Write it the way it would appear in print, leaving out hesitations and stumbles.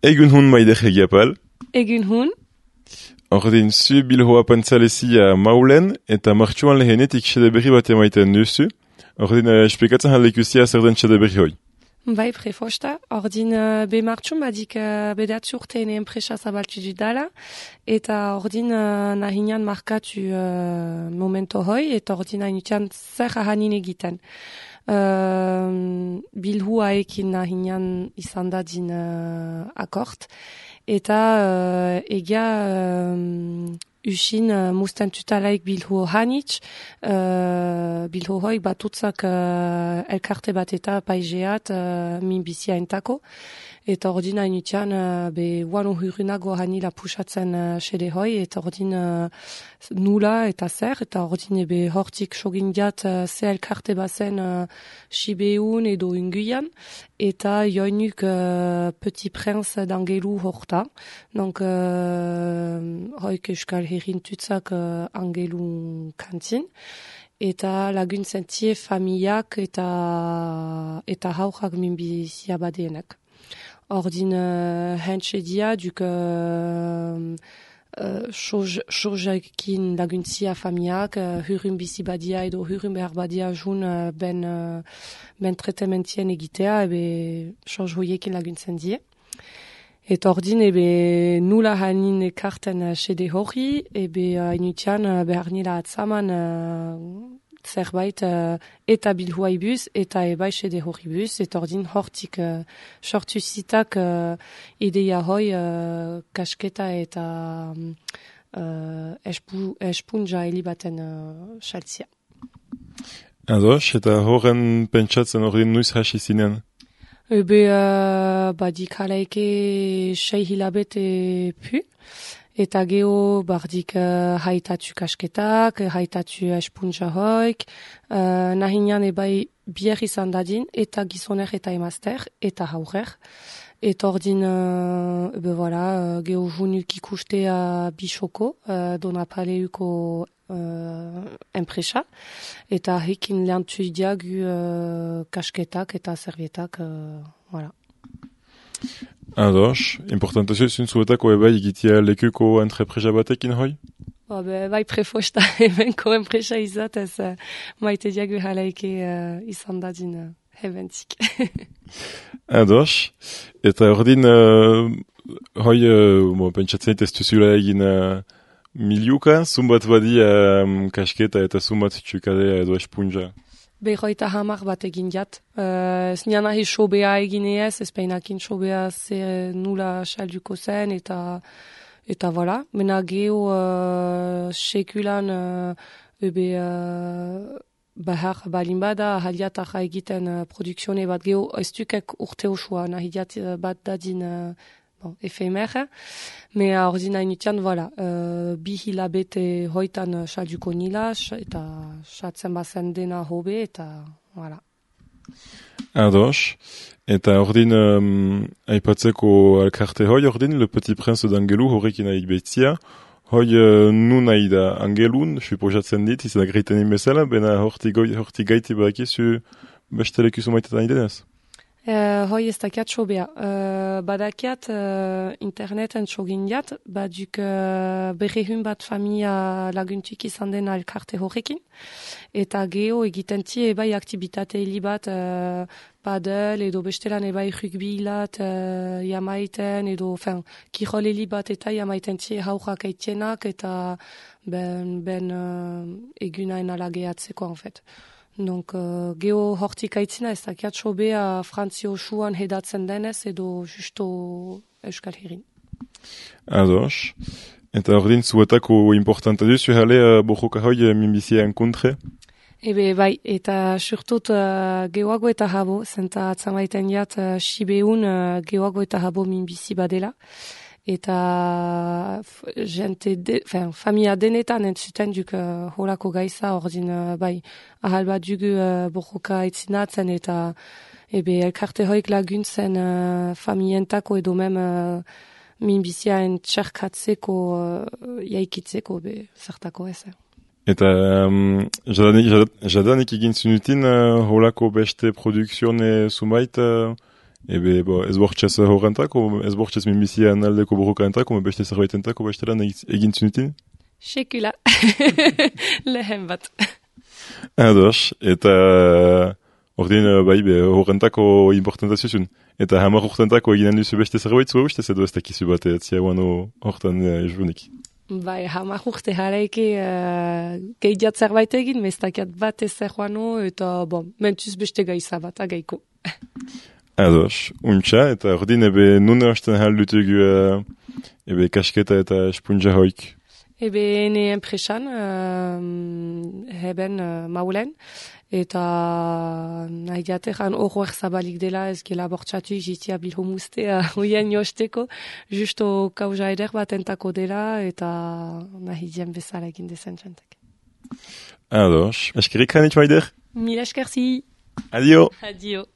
Egun hun maidech egiapal. Egun hun. Ordin zu bilhoa pantzalezi a maulen eta martxuan lehenetik xede berri bat emaiten duzu. Ordin esplikatzen halekusia zer den xede berri hoi. Bai, prefosta. Ordin be martxun badik bedatzu urtean enpresa zabaltu dudala. Eta ordin nahinean markatu momento hoi. Eta ordin hainutian zer ahanin egiten. Bilhua ekin nahinean izan da din akort. Eta egia usin musten tutalaik bilhu hanitz, bilhu hoi batutzak elkarte bat eta paizeat min bizia entako. Eta ordin hainutian be wano hurunago hanila pusatzen xede hoi, eta ordin nula eta zer, eta ordin ebe hortik sogindiat ze elkarte bazen Sibeun edo unguian, eta joinuk Petit Prince d'Angelu horta. Donc hoik euskal herrin tutzak Angelu kantin. Eta laguntzen tie familiak eta haujak minbizia badeenak. Ordin hentxe dia duk sojakin laguntzia familiak, hurun bizi badia edo hurun behar badia jun ben tretementien egitea, ebe soj hoiekin laguntzen die. Eta ordin ebe nula hanin ekarten xede hori, ebe inutian behar nila atzaman zerbait eta bilhuai bus eta ebai xede hori bus, eta ordin hortik sortu zitak ideia hoi kasketa eta espunja helibaten xaltzia. Ados, eta horren pentsatzen ordin nuiz hasi zinen? Ebe badik halaike 6 hilabete pu. Eta geho bardik haitatu kasketak, haitatu espunja hoik, nahinean ebai bier izan dadin, eta gizoner eta emazter, eta haurer. Eta ordin, geho junuk ikustea bisoko, donapaleuko enpresa, eta hekin lehantu idiagu kasketak eta servietak, voilà. Ados, importantazio zuntzuetako ebai egitea lekuko entrepresa batekin hoi? Bai prefosta ebenko enpresa izatez maite diagu halaike izan dadin ebentik. Ados, eta ordin hoi pentsatzen ez duzula egin miliuka, zumbat badi kasketa eta zumbat txukadea edo espunja. Behoita hamar bat egin jat. Ez nian ahi sobea egineez, ez peinakin sobea ze nula salduko zen, eta voilà. Mena geho sekulan bahar balin bada, ahaliatak egiten produkzione bat geho, ez dukek urte osua, nahi jat bat dadin efemer. Mea ordina inutian, voilà, bi hilabete hoitan salduko nila, eta satzen bazen dena hobe, eta voilà. Ados, eta ordin aipatzeko alkarte hoi ordin, Le Petit Prince d'Angelu horrekin aik behitzia, hoi nu nahi da Angelun, suposatzen dit, izan agreiten inbezala, bena horti gaiti badakizu bestelekuzu maitetan idenez? Hoi ez dakiat sobea. Badakiat interneten sogindiat, baduk berrehun bat familia laguntuk izan den alkarte horrekin. Eta geho egiten tie ebai aktibitate heli bat padel edo bestelan ebai rugby hilat jamaiten edo kirol heli bat eta jamaiten tie haujak eitienak eta ben egunain alageatzeko en fait. Donc, geho hortik aitzina ez dakiat sobea Frantzio suan hedatzen denez edo justo Euskal Herrin. Ados. Eta ordin zuetako importanta duzu jale bojoka hoi minbizia enkontre? Ebe bai, eta surtut gehoago eta habo, zenta atzamaiten jat Sibeun gehoago eta habo minbizi badela. Eta familia denetan entzuten duk holako gaiza, ordin bai, ahal bat dugu borroka aitzinatzen eta ebe elkarte hoik laguntzen familientako edo mem minbizia entxerkatzeko jaikitzeko be zertako ez. Eta jadanik egin zunutin holako beste produkzione zumait Ebe, ez bortxez horrentako, ez bortxez minbizian aldeko borrokaentako, beste zerbaitentako, beste lan egin zunutin? Sekula. Lehen bat. Ados, eta ordin bai, horrentako importantazio zuen. Eta hamar urtentako eginen duzu beste zerbait zua ustez edo ez dakizu bat etzia guano hortan junik. Bai, hamar urte jaraiki gehiat zerbait egin, mestakiat bat ez guano, eta mentuz beste gaiza bat, agaiko. Ados, untxa, eta ordin ebe nune hasten haldutugu ebe kasketa eta espunja hoik. Ebe ene enpresan, heben maulen, eta nahi diateran horroer zabalik dela ez gela bortxatu izitia bilho mustea hoien josteko, justo kauza eder bat entako dela, eta nahi dien bezala egin dezen txantek. Ados, eskerik hanit maider? Mil eskerzi! Adio! Adio!